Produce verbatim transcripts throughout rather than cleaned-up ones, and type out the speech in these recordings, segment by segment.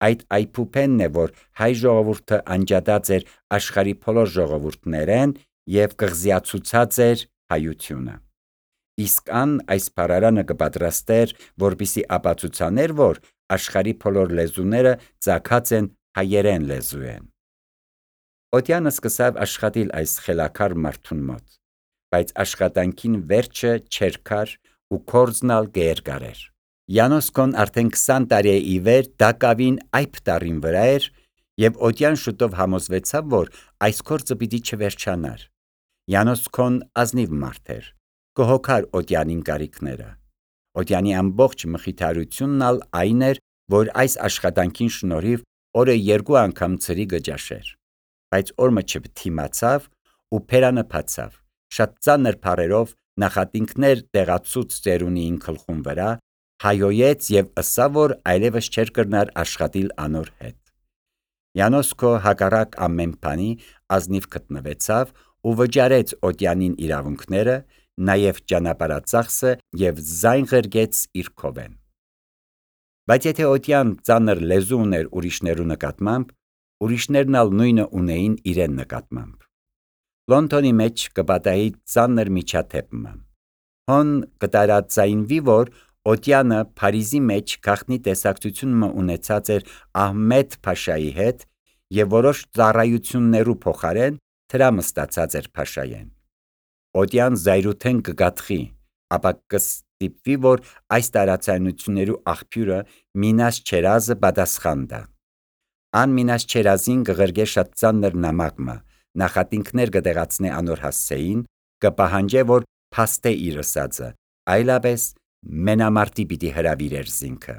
Այդ այփուփենն է, որ հայ ժողովուրդը անջատած էր աշխարհի բոլոր ժողովուրդներեն եւ կղզիացուցած էր հայությունը։ Իսկ ան այս բառարանը կպատրաստեր, որպիսի ապացուցաներ, որ աշխարհի բոլոր լեզուները ծագած են հայերեն լեզուեն։ Օդյանը սկսավ աշխատել այս խելաքար մարդուն մոտ, բայց աշխատանքին վերջը չէր կար ու կորձնալ գերգար էր։ Յանոսկոն արդեն քսան տարի է ի վեր դակավին այբ տարին վրա էր եւ Օդյան շուտով համոզվեցավ, որ այս կորձը պիտի չվերջանար։ Յանոսկոն ազնիվ մարդ էր, կհոգար Օդյանին կարիքները։ Օդյանի ամբողջ մխիթարությունն ալ այն էր, որ այս աշխատանքին շնորհիվ օրը երկու անգամ ծրի գճաշեր։ Բայց օրը չթիմացավ ու փերանը փացավ, շատ ծանր բառերով նախատինքներ տեղացուց ծերունիին գլխուն վրա, հայոյեց եւ ըսավ, որ այլևս չէր կրնար աշխատիլ անոր հետ։ Յանոսկո հակառակ ամեն բանի ազնիվ գտնվեցավ ու վճարեց Օդյանին իրավունքները, նաև ճանապարհածախսը եւ զայն ղրգեց իր քովեն։ Բայց եթե Օդյան ծանր լեզու ուներ ուրիշներու նկատմամբ, ուրիշներն ալ նույնը ունեին իրեն նկատմամբ։ Լոնդոնի մեջ կպատահի ծանր միջադեպը։ Հոն կտարածայնվի, որ Օդյանը Փարիզի մեջ գաղտնի տեսակցություն ունեցած էր Ահմեդ Փաշայի հետ եւ որոշ ծառայություններու փոխարեն դրամ ստացած էր Փաշայեն։ Օդյան զայրութեն կգաթխի, ապա կստիպվի, որ այս տարածայնություններու աղբյուրը Մինաս Չերազը պատասխան տա։ Ան Մինաս Չերազին կղրգե շատ ծանր նամակը, նախատինքներ կտեղացնե անոր հասցեին, կպահանջե, որ փաստե իր ըսածը, այլապես մենամարտի պիտի հրավիրեր զինքը։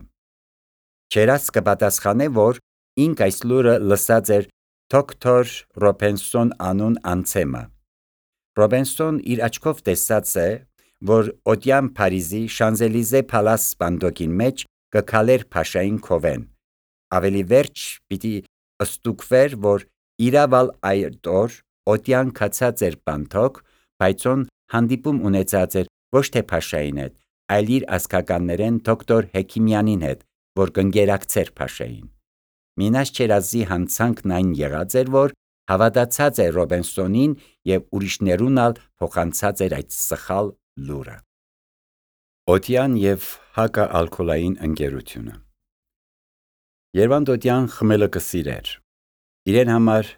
Չերազ կպատասխանե, որ ինք այս լուրը լսած էր դոկտոր Ռոբենսոն անուն անցեմը։ Ռոբենսոն իր աչքով տեսած է, որ Օդյան Փարիզի Շանզելիզե փալաս սպանդոկին մեջ կքալեր Փաշային քովեն։ Ավելի վերջ պիտի ըստուկվեր, որ իրավալ այդ օր Օդյան կացած էր բանթոկ, բայց on հանդիպում ունեցած էր ոչ թե Փաշային հետ, այլ իր ազգականներեն դոկտոր Հեքիմյանին հետ, որ կընկերակցեր Փաշային։ Մինաս Չերազի հանցանքն այն եղած էր, որ հավատացած է Ռոբենսոնին եւ ուրիշներուն ալ փոխանցած էր այդ սխալ լուրը։ Օդյան եւ հակաալկոլային ընկերությունը։ Երվանդ Օդյան խմելը կսիրեր։ Իրեն համար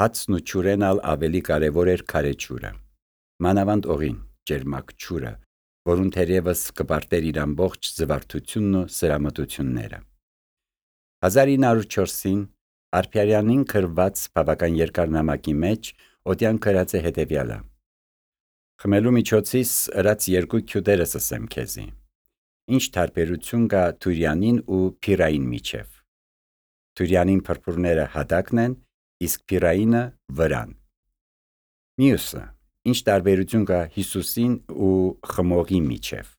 հացն ու ճուրեն ալ ավելի կարևոր էր քարե ճուրը։ Մանավանդ օղին, ջերմակ ճուրը, որուն թերևս կպարտեր իր ամբողջ զվարթությունն ու սրամտությունները։ հազար ինը հարյուր չորսին Արփիարյանին գրված բավական երկար նամակի մեջ Օդյան գրած է հետևյալը. Խմելու միջոցից ըրած երկու քյուտերս ասեմ քեզի։ Ինչ տարբերություն կա Թուրյանին ու Փիրային միջև։ Թուրյանին փրփուրները հատակն են, իսկ Փիրայինը վրան։ Մյուսը, ինչ տարբերություն կա Հիսուսին ու խմողի միջև։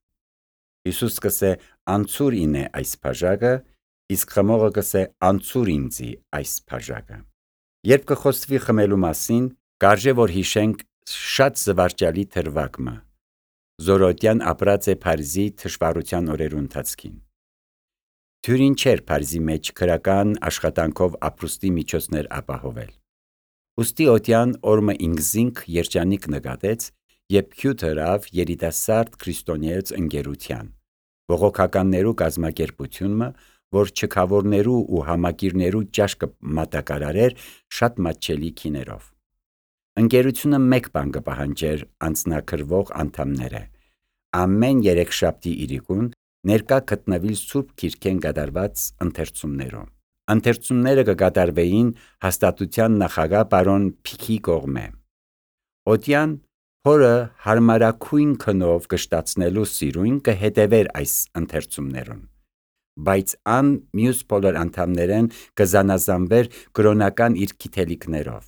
Հիսուս կսե անցուր ինե այս բաժակը, իսկ խմողը կսե անցուր ինձի այս բաժակը։ Երբ կխոսվի խմելու մասին, կարժե որ հիշենք շատ զվարճալի թրվակը, Զորոդյան ապրած է Փարիզի թշվառության օրերու ընթացքին։ Թյուրին չէր Փարիզի մեջ քրական աշխատանքով ապրուստի միջոցներ ապահովել։ Ուստի Օդյան օրմը ինքզինք երջանիկ նկատեց, երբ քյութ հրավ երիտասարդ քրիստոնեոց ընկերության, բողոքականներու կազմակերպությունը, որ չքավորներու ու համակիրներու ճաշկը մատակարարեր շատ մատչելի քիներով։ Ընկերությունը մեկ բան կպահանջեր անձնակրվող անդամները՝ ամեն երեքշաբթի իրիկուն ներկա գտնվիլ Սուրբ Քիրքեն կատարված ընթերցումներում։ Ընթերցումները կկատարվեին հաստատության նախագահ պարոն Փիքի կողմէ։ Օդյան հորը հարմարակույն քնով կշտացնելու սիրույն կհետևեր այս ընթերցումներուն, բայց ան մյուս բոլոր անդամներեն կզանազանվեր կրոնական իր գիտելիքներով։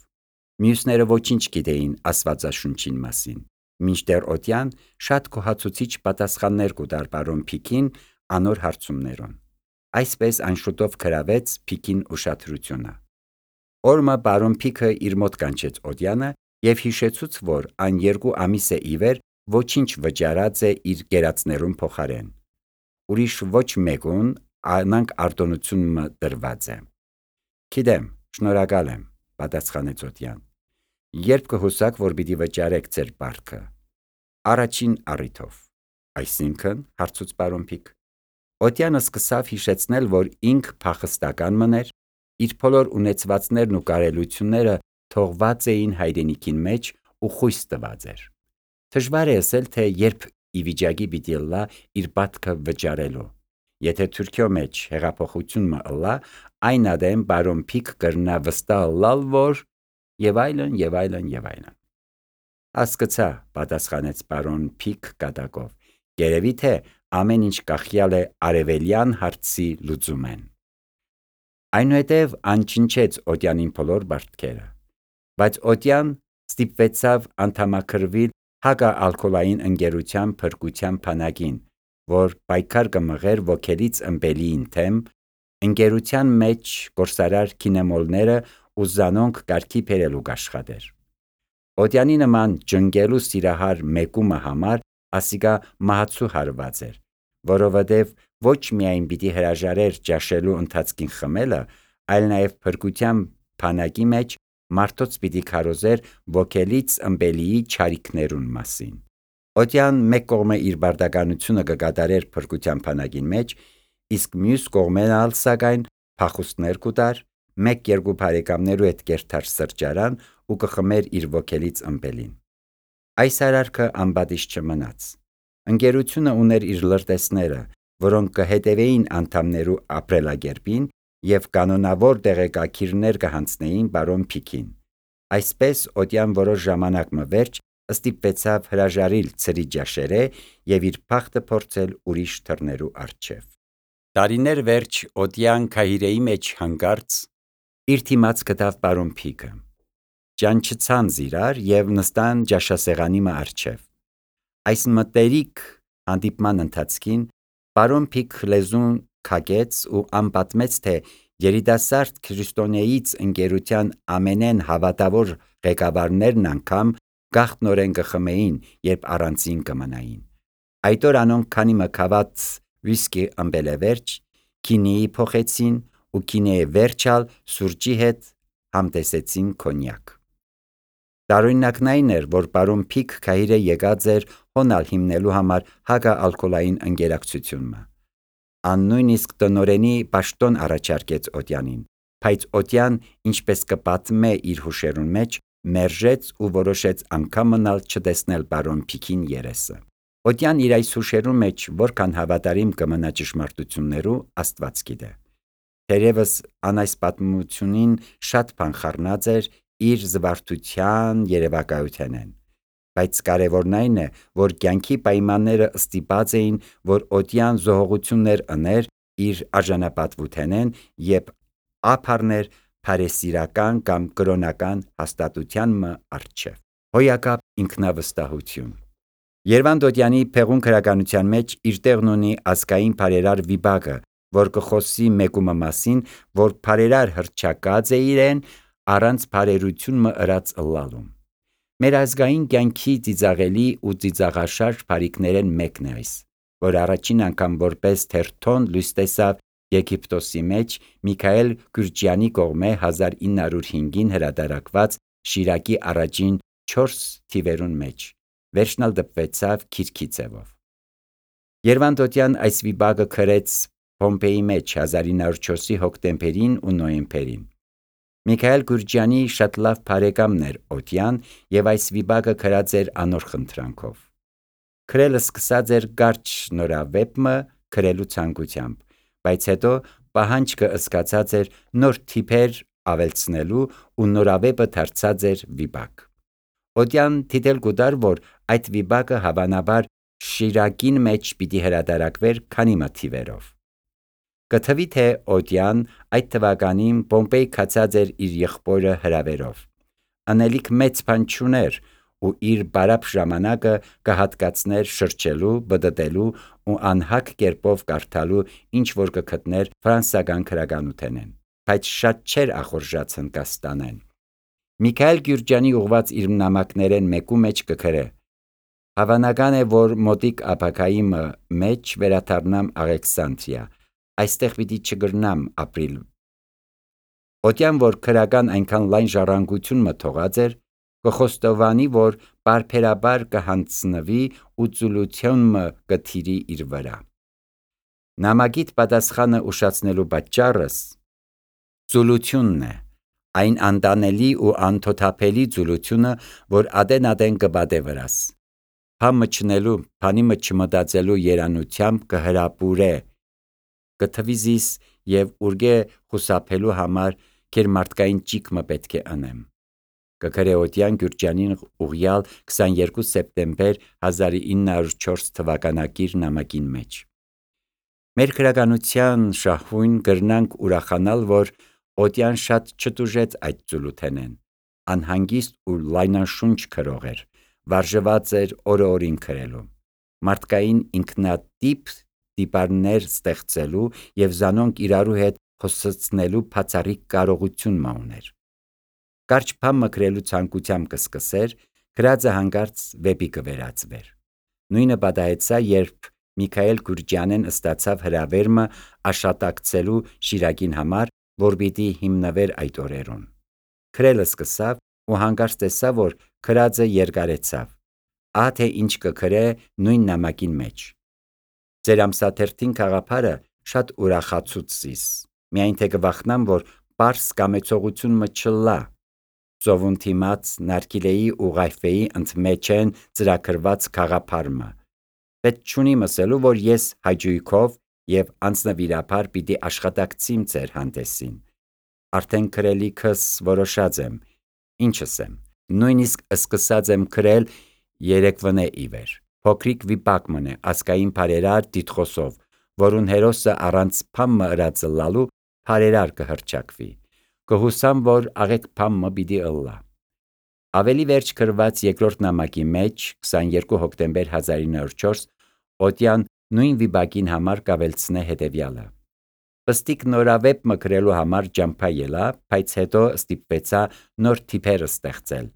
Մյուսները ոչինչ գիտեին Աստվածաշունչին մասին, մինչդեռ Օդյան շատ գոհացուցիչ պատասխաններ կուտար պարոն Փիքին անոր հարցումներուն։ Այսպես այն շուտով գրավեց Փիքին ուշադրությունը։ Օրմը պարոն Փիքը իր մոտ կանչեց Օդյանը եւ հիշեցուց, որ այն երկու ամիս է ի վեր ոչինչ վճարած է իր գերածներուն փոխարեն։ Ուրիշ ոչ մեկուն անանք արտոնությունը դրված է։ Գիտեմ, շնորհակալ եմ, պատասխանեց Օդյան։ Երբ կհուսաք, որ պիտի վճարեք ձեր պարտքը։ Առաջին առիթով։ Այսինքն, հարցուց պարոն Փիկ։ Օդյանը սկսավ հիշեցնել, որ ինք փախստական մներ, իր բոլոր ունեցվածներն ու կարելությունները թողված էին հայրենիքին մեջ ու խույս տված էր։ Դժվար է ասել, թե երբ ի վիճակի պիտի լա իր պատքը վճարելու։ Եթե Թուրքիո մեջ հեղափոխություն մը ըլլա, այն ադեմ պարոն Փիկ կրնա վստահ լալ, որ եւ այլն եւ այլն եւ այլն։ Հասկացա, պատասխանեց պարոն Փիկ կատակով։ Երևի թե ամեն ինչ կախյալ է արևելյան հարցի լուծումեն։ Այնուհետև անչնչեց Օդյանին բոլոր բարդքերը, բայց Օդյան ստիպվեցավ անդամակրվել հակաալկոհոլային ընկերության փրկության բանակին, որ պայքար կմղեր ոգելից ըմբելիին թեմ, ընկերության մեջ գործարար կինեմոլները ու զանոնք կարգի բերելու կաշխատեր։ Օդյանի նման ջնգելու սիրահար մեկումը համար ասիկա մահացու հարված էր, որովհետև ոչ միայն պիտի հրաժարեր ճաշելու ընթացքին խմելը, այլ նաև փրկության բանակի մեջ մարդոց պիտի քարոզեր ոգելից ըմբելիի չարիքներուն մասին։ Օդյան մեկ կողմը իր բարդականությունը կկատարեր փրկության բանակին մեջ, իսկ մյուս կողմեն ալ սակայն փախուստներ կուտար, մեկ-երկու բարեկամներու հետ կերթար սրճարան ու կխմեր իր ոգելից ըմբելին։ Այս արարքը անպատիժ չմնաց։ Ընկերությունը ուներ իր լրտեսները, որոնք կհետևեին անդամներու ապրելակերպին եւ կանոնավոր տեղեկակիրներ կհանձնեին պարոն Փիկին։ Այսպես Օդյան որոշ ժամանակ մը վերջ ստիպվեցավ հրաժարիլ ծրի ջաշերե եւ իր փախտը փորձել ուրիշ թռներու առջև։ Տարիներ վերջ Օդյան քահիրեի մեջ հանգարց իր թիմած գտավ պարոն Փիկը։ Ճանչցան զիրար եւ նստան ջաշասեղանի մը առջև։ Այս մտերիկ հանդիպման ընթացքին պարոն Փիկ լեզուն քագեց ու անպատմեց, թե երիտասարդ քրիստոնեից ընկերության ամենեն հավատավոր ղեկավարներն անգամ գախտնորեն կխմեին, երբ առանցին կմնային։ Այդ օր անոնք քանի մը քաված վիսկի ըմբելևերջ քինիի փոխեցին ու քինիի վերջալ սուրճի հետ համտեսեցին կոնյակ։ Տարօրինակն այն էր, որ պարոն Փիկ քահիրե եկած էր հոնալ հիմնելու համար հակաալկոհոլային ընկերակցությունը։ Ան նույնիսկ տնորենի պաշտոն առաջարկեց Օդյանին, բայց Օդյան, ինչպես կպատմե իր հուշերուն մեջ, մերժեց ու որոշեց անգամ մնալ չտեսնել պարոն Փիկին երեսը։ Օդյան իր այս հուշերուն մեջ որքան հավատարիմ կմնա ճշմարտություններու Աստված գիտե։ Թերևս ան այս պատմությունին շատ բան խառնած էր իր զվարթության երևակայութենեն, բայց կարևորն այն է, որ կյանքի պայմանները ստիպած էին, որ Օդյան զոհողություններ ըներ իր արժանապատվութենեն եւ ափառներ փարեսիրական կամ կրոնական հաստատության մը առջև։ Հոյակապ ինքնավստահություն։ Երվանդ Օդյանի փեղուն քրականության մեջ իր տեղն ունի ազգային բարերար վիբակը, որ կխոսի մեկումը մասին, որ բարերար հրճակած է իրեն առանց բարերություն մը ըրած ըլլալում։ Մեր ազգային կյանքի ծիծաղելի ու ծիծաղաշարժ բարիքներեն մեկն է այս, որ առաջին անգամ որպես թերթոն լույս տեսավ Եգիպտոսի մեջ Միքայել Գյուրջյանի կողմէ հազար ինը հարյուր հինգին հրատարակված Շիրակի առաջին չորս թիվերուն մեջ, վերջնալ դպվեցավ քիրքի ձևով։ Երվանդ Օդյան այս վիբակը գրեց Պոմպեի մեջ հազար ինը հարյուր չորսի հոկտեմբերին ու նոյեմբերին։ Միքայել Գյուրջյանի շատ լավ բարեկամն էր Օդյան եւ այս վիբակը գրած էր անոր խնդրանքով։ Գրելը սկսած էր կարճ նորավեպը գրելու ցանկությամբ, բայց հետո պահանջքը ըսկացած էր նոր թիփեր ավելցնելու ու նորավեպը դարձած էր վիբակ։ Օդյան թիթել կուտար, որ այդ վիբակը հավանաբար Շիրակին մեջ պիտի հրատարակվեր քանի մը թիվերով։ Կթվի թե Օդյան այդ թվականին Պոմպեի կացած էր իր եղբորը հրավերով։ Անելիք մեծ բան չուներ ու իր բարապ ժամանակը կհատկացներ շրջելու, բդդելու ու անհակ կերպով կարդալու ինչ որ կգտներ ֆրանսական քրականութենեն, բայց շատ չէր ախորժած Հնդկաստանեն։ Միքայել Գյուրջյանի ուղված իր նամակներեն մեկու մեջ կգրե. Հավանական է, որ մոտիկ ապագայի մեջ վերադառնամ Ալեքսանդրիա, այստեղ պիտի չգրնամ ապրիլ։ Օտյան, որ քրական այնքան լայն ժառանգություն մը թողած էր, կխոստովանի, որ բարբերաբար կհանձնվի ու ծուլություն մը կթիրի իր վրա։ Նամակիդ պատասխանը ուշացնելու պատճառս ծուլությունն է, այն անտանելի ու անթոթափելի ծուլությունը, որ ադեն-ադեն կբադե վրաս։ Փամը չնելու, փանիմը չմտածելու երանությամբ կհրապուրե, կթվի զիս և ուրգե խուսափելու համար կեր մարդկային ճիքմը պետք է ընեմ։ Կգրե Օտյան Գյուրջանին ուղյալ քսաներկու սեպտեմբեր հազար ինը հարյուր չորս թվականակիր նամակին մեջ։ Մեր քրականության շահույն գրնանք ուրախանալ, որ Օտյան շատ չտուժեց այդ ծուլութենեն, անհանգիստ ու լայնաշունչ քրող էր, վարժված էր օրը օրին քրելու, մարդկային ինքնատիպ տիպարներ ստեղծելու և զանոնք իրարու հետ խոսեցնելու բացառիկ կարողություն մը ուներ։ Կարճ փամը գրելու ցանկությամբ կսկսեր, գրածը հանկարծ վեպի կվերածվեր։ Նույնը պատահեցա, երբ Միքայել Գյուրջանեն ստացավ հրավերմը աշատակցելու Շիրակին համար, որ պիտի հիմնվեր այդ օրերուն։ Գրելը սկսավ ու հանկարծ տեսավ, որ գրածը երկարեցավ։ Ահա թե ինչ կգրե նույն նամակին մեջ։ Ձեր ամսաթերթին գաղափարը շատ ուրախացուց զիս, միայն թե կվախնամ, որ պարս կամեցողություն մը չլա։ Ծովուն թիմած Նարգիլեի ու Ղայֆեի ընդմեջեն ծրագրված գաղափարմը։ Պետք չունի մսելու, որ ես հաճույքով և անձնվիրաբար պիտի աշխատակցիմ ձեր հանդեսին։ Արդեն գրելիքս որոշած եմ, ինչս եմ, նույնիսկ սկսած եմ գրել երեկվնե իվեր։ Փոքրիկ վիպակ մնե ազգային բարերար տիտղոսով, որուն հերոսը առանց փամը ըրածլալու բարերար կհռչակվի։ Կհուսամ, որ աղեկ փամը պիտի ըլլա։ Ավելի վերջ գրված երկրորդ նամակի մեջ քսաներկու հոկտեմբեր հազար ինը հարյուր չորս Օտյան նույն վիպակին համար կավելցնե հետևյալը. Պստիկ նորավեպ մը գրելու համար ջամփա ելա, բայց հետո ստիպվեցա նոր թիփեր ստեղծել,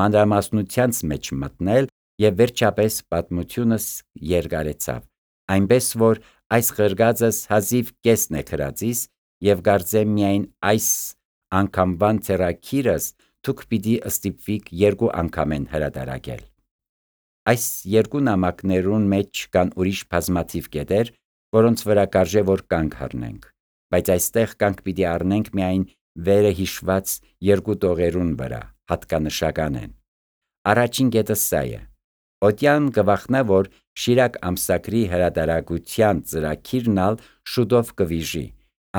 մանրամասնությանց մեջ մտնել և վերջապես պատմությունս երկարեցավ, այնպես որ այս գրգածս հազիվ կեսն է գրածիս և կարծեմ միայն այս անգամվան ձեռագիրս դուք պիտի ստիպվիք երկու անգամեն հրատարակել։ Այս երկու նամակներուն մեջ կան ուրիշ բազմաթիվ կետեր, որոնց վրա կարժե որ կանգ առնենք, բայց այստեղ կանգ պիտի առնենք միայն վերը հիշված երկու տողերուն վրա, հատկանշական են։ Առաջին կետը սա է. Օտյան կվախնա, որ Շիրակ ամսագրի հրատարակության ծրագիրն ալ շուտով կվիժի,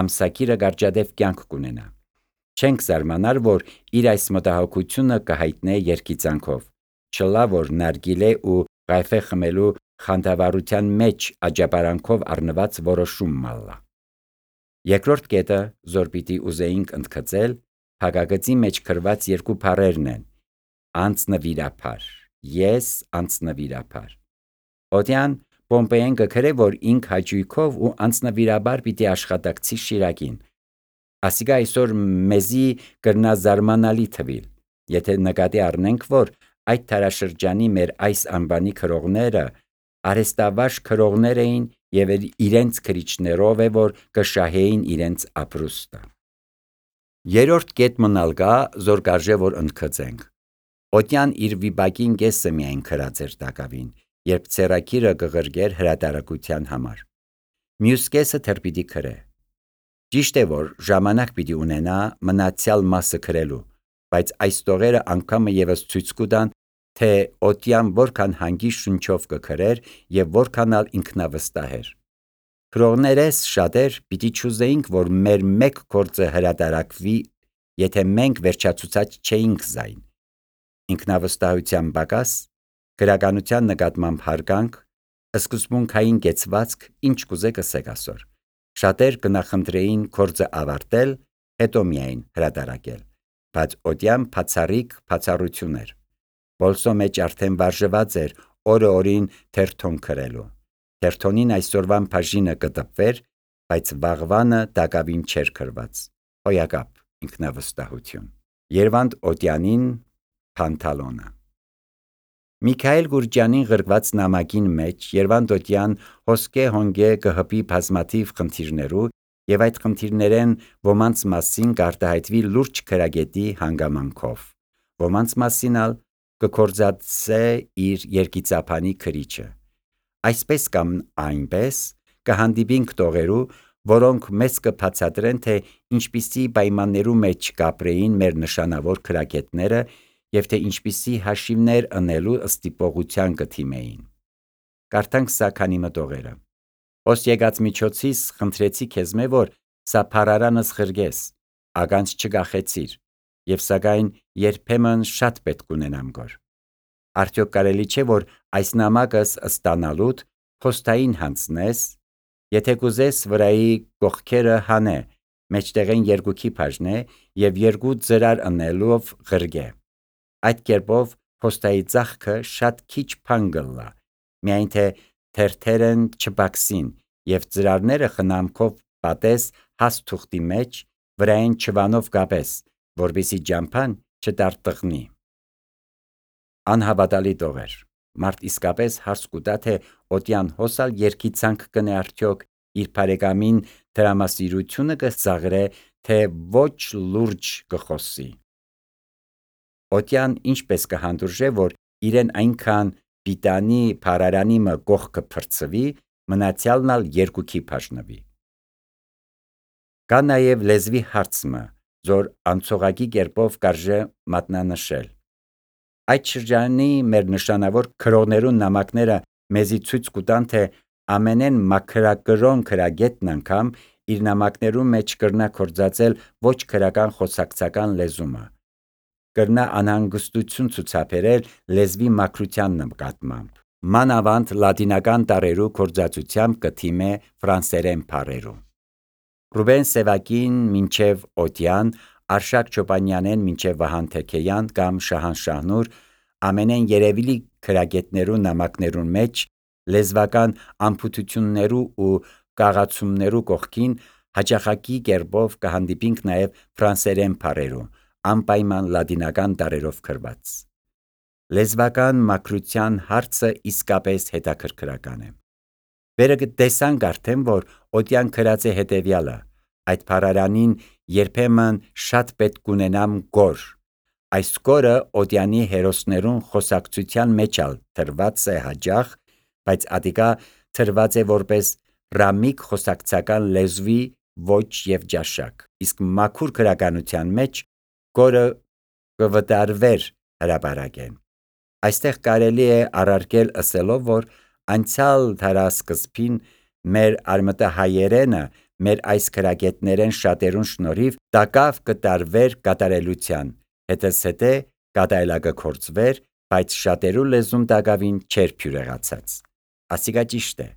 ամսագիրը կարճադեպ կյանք կունենա։ Չենք զարմանար, որ իր այս մտահոգությունը կհայտնե երգիծանքով, չլա, որ Նարգիլե ու Ղայֆե խմելու խանդավառության մեջ աջապարանքով առնված որոշում մալլա։ Երկրորդ կետը, զոր պիտի ուզեինք ընդգծել, փակագծի մեջ գրված երկու բառերն են՝ անձնվիրաբար, ես անձնվիրաբար։ Օտյան Պոմպեեն կգրե, որ ինք հաճույքով ու անձնվիրաբար պիտի աշխատակցի Շիրակին։ Ասիկա այսօր մեզի կրնա զարմանալի թվիլ, եթե նկատի առնենք, որ այդ դարաշրջանի մեր այս անվանի գրողները արհեստավարժ գրողներ էին և իրենց գրիչներով է, որ կշահեին իրենց ապրուստը։ Երրորդ կետ մնալ կա, զոր կարժե որ ընդգծենք։ Օտյան իր վիպակին կեսը միայն գրած էր տակավին, երբ ձեռագիրը կղրգեր հրատարակության համար։ Մյուս կեսը դեռ պիտի գրե։ Ճիշտ է, որ ժամանակ պիտի ունենա մնացյալ մասը գրելու, բայց այս տողերը անգամը ևս ցույց կտան, թե Օտյան որքան հանգիստ շունչով կգրեր և որքան ալ ինքնավստահ էր։ Գրողներես շատեր պիտի չուզեինք, որ մեր մեկ գործը հրատարակվի, եթե մենք վերջացուցած չէինք զայն։ Ինքնավստահության պակաս, գրականության նկատմամբ հարգանք, սկզբունքային կեցվածք, ինչ կուզեք ասեք ասոր։ Շատեր կնախընտրեին գործը ավարտել, հետո միայն հրատարակել, բայց Օտյան բացառիկ բացառություն էր։ Բոլսո մեջ արդեն վարժված էր օրը օրին թերթոն գրելու։ Թերթոնին այսօրվան բաժինը կտպվեր, բայց վաղվանը տակավին չէր գրված։ Հոյակապ ինքնավստահություն։ Երվանդ Օտյանին Փանթալոնը։ Միքայել Գուրջյանին գրված նամակին մեջ Երվանդոտյան հոսքե հոնգե կհպի բազմաթիվ խնդիրներու եւ այդ խնդիրներեն ոմանց մասին կարտահայտվի լուրջ քրագետի հանգամանքով, ոմանց մասին ալ կկործածե իր երկիծափանի քրիչը։ Այսպես կամ այնպես կհանդիպինք տողերու, որոնք մեզ կբացատրեն, թե ինչպիսի պայմաններու մեջ կապրեին մեր նշանավոր քրագետները եւ թե ինչպիսի հաշիվներ ընելու ստիպողության կթիմեին։ Կարդանք սա քանի մտողերը։ Ոս եկած միջոցից խնդրեցի քեզ մե որ սա փարարանս խրգես, ականց չգախեցիր, եւ սակայն երբեմն շատ պետք ունենամ գոր։ Արդյոք կարելի չէ որ այս նամակս ստանալուտ փոստային հանձնես, եթե կուզես վրայի կողքերը հանե, մեջտեղեն երկուքի բաժնե եւ երկու ծրար ընելով ղրգե։ Այդ կերպով փոստայի ծախքը շատ քիչ բան գլա, միայն թե թերթերն չբաքսին եւ ծրարները խնամքով պատես հաս թուղթի մեջ, վրային չվանով կապես, որպեսի ջամփան չտարտղնի։ Անհավատալի տողեր, մարդ իսկապես հարց կուտա, թե օտյան հոսալ երկիցանք կնե արդյոք իր բարեկամին դրամասիրությունը կծաղրե, թե ոչ լուրջ կխոսի։ Օտյան ինչպես կհանդուրժե, որ իրեն այնքան պիտանի փարարանի մը կողքը փրցվի, մնացյալն ալ երկուքի բաժնվի։ Կա նաև լեզվի հարցը, որ անցողակի կերպով կարժե մատնանշել։ Այդ շրջանի մեր նշանավոր քրողներու նամակները մեզի ցույց կտան, թե ամենեն մաքրակրոն քրագետն անգամ իր նամակներու մեջ կրնա կործածել ոչ քրական խոսակցական լեզումը, կրնա անհանգստություն ցուցաբերել լեզվի մաքրության նկատմամբ, մանավանդ լատինական տառերու կործածությամբ կթիմե ֆրանսերեն բառերու։ Ռուբեն Սևակին մինչև Օտյան, Արշակ Չոպանյանեն մինչև Վահան Թեքեյան կամ Շահան Շահնուր ամենեն երևելի քրագետներու նամակներուն մեջ լեզվական անփութություններու ու կաղացումներու կողքին հաճախակի կերպով կհանդիպինք նաև ֆրանսերեն բառերու, անպայման լատինական տառերով գրված։ Լեզվական մաքրության հարցը իսկապես հետաքրքրական է։ Վերը կտեսանք արդեն, որ Օտյան գրած է հետևյալը. այդ փարարանին երբեմն շատ պետք ունենամ գոր։ Այս գորը Օտյանի հերոսներուն խոսակցության մեջ ալ թրված է հաջախ, բայց ադիկա թրված է որպես ռամիկ խոսակցական լեզվի ոչ եւ ջաշակ, իսկ մաքուր քրականության մեջ գորը կվտարվեր հրապարակեն։ Այստեղ կարելի է առարկել ասելով, որ անցյալ դարասկզբին մեր արմատահայերենը մեր այս քրագետներեն շատերուն շնորհիվ տակավ կտարվեր կատարելության, հետզհետե կատարելագործվեր, բայց շատերու լեզուն տակավին չէր փյուրեղացած։ Ասիկա ճիշտ է,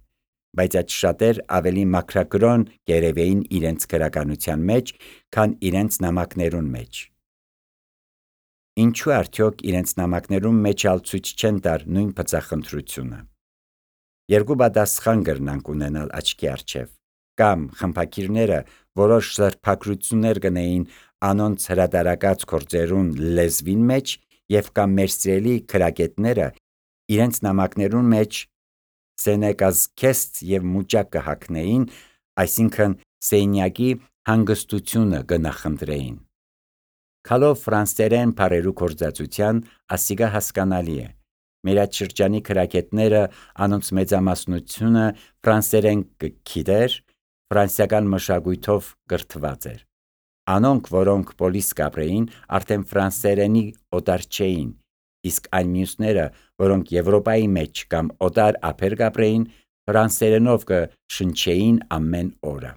բայց այդ շատեր ավելի մաքրակրոն կերևեին իրենց քրականության մեջ, քան իրենց նամակներուն մեջ։ Ինչու արդյոք իրենց նամակներուն մեջ ալ ցույց չեն տար նույն բծախնդրությունը։ Երկու պատասխան կրնանք ունենալ աչքի առջև, կամ խմբակիրները որոշ սրբակրություններ կնեին անոնց հրատարակած գործերուն լեզվին մեջ, եւ կամ մեր սիրելի քրագետները իրենց նամակներուն մեջ սենեկազքեստ եւ մուճակ կհակնեին, այսինքն սենյակի հանգստությունը կնախընտրեին։ Քալով ֆրանսերեն բառերու կործածության, ասիգա հասկանալի է։ Մեր այդ շրջանի քրագետները անոնց մեծամասնությունը ֆրանսերեն կգիտեր, ֆրանսիական մշակույթով կրթված էր։ Անոնք, որոնք պոլիս կապրեին, արդեն ֆրանսերենի օտար չէին, իսկ այն մյուսները, որոնք Եվրոպայի մեջ կամ օտար ափեր կապրեին, ֆրանսերենով կշնչեին ամեն օրը։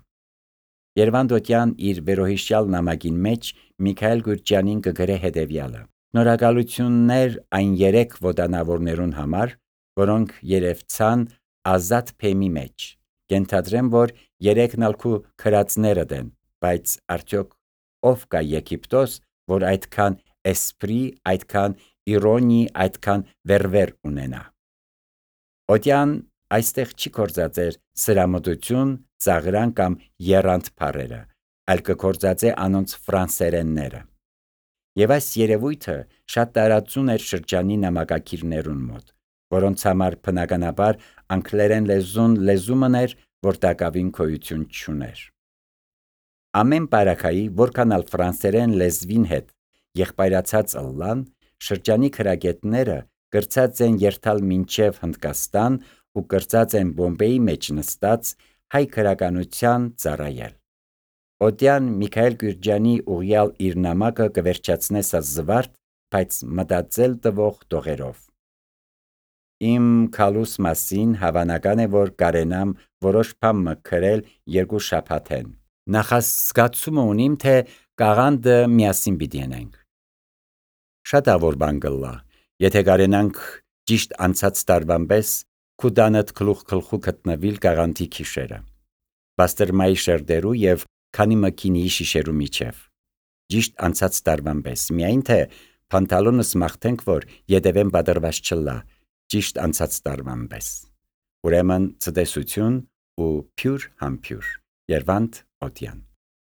Երվանդոտյան իր վերոհիշյալ նամակին մեջ Միքայել Գուրջյանին կգրե հետևյալը. Շնորհակալություններ այն երեք ոտանավորներուն համար, որոնք երևցան ազատ փեմի մեջ։ Կենթադրեմ, որ երեքն ալ քու քրածները դեն, բայց արդյոք ով կա Եգիպտոս, որ այդքան էսպրի, այդքան իրոնի, այդքան վերվեր ունենա։ Օտյան այստեղ չի կործածեր սրամտություն, ծաղրան կամ եռանդ բառերը, այլ կկործածե անոնց ֆրանսերենները։ Եվ այս երևույթը շատ տարածուն էր շրջանի նամակակիրներուն մոտ, որոնց համար բնականաբար անգլերեն լեզուն լեզումն էր, որ տակավին գոյություն չուներ։ Ամեն բարակայի, որքան ալ ֆրանսերեն լեզվին հետ եղբայրացած ըլլան, շրջանի քրագետները կրծած են երթալ մինչև Հնդկաստան ու կրծած են Բոմբեի մեջ նստած հայ քրականության ծառայել։ Օդյան Միքայել Գյուրջյանի ուղյալ իր նամակը կվերջացնես զվարթ, բայց մտածել տվող տողերով։ Իմ քալուս մասին հավանական է, որ կարենամ որոշ բան մքրել երկու շաբաթեն։ Նախազգացումը ունիմ, թե կաղանդը միասին պիտի անենք։ Շատ ավոր բան կլա, եթե կարենանք ճիշտ անցած տարվան պես քուդանդ գլուխ գլխու գտնվիլ կաղանդի քիշերը, բաստրմայի շերդերու և քանի մկինի շիշերու միջև, ճիշտ անցած տարվան պես, միայն թե պանտալոնս մաղթենք, որ ետևեն պատրված չլա, ճիշտ անցած տարվան պես։ Ուրեմն ցտեսություն ու փյուր համփյուր, Երվանդ Օդյան։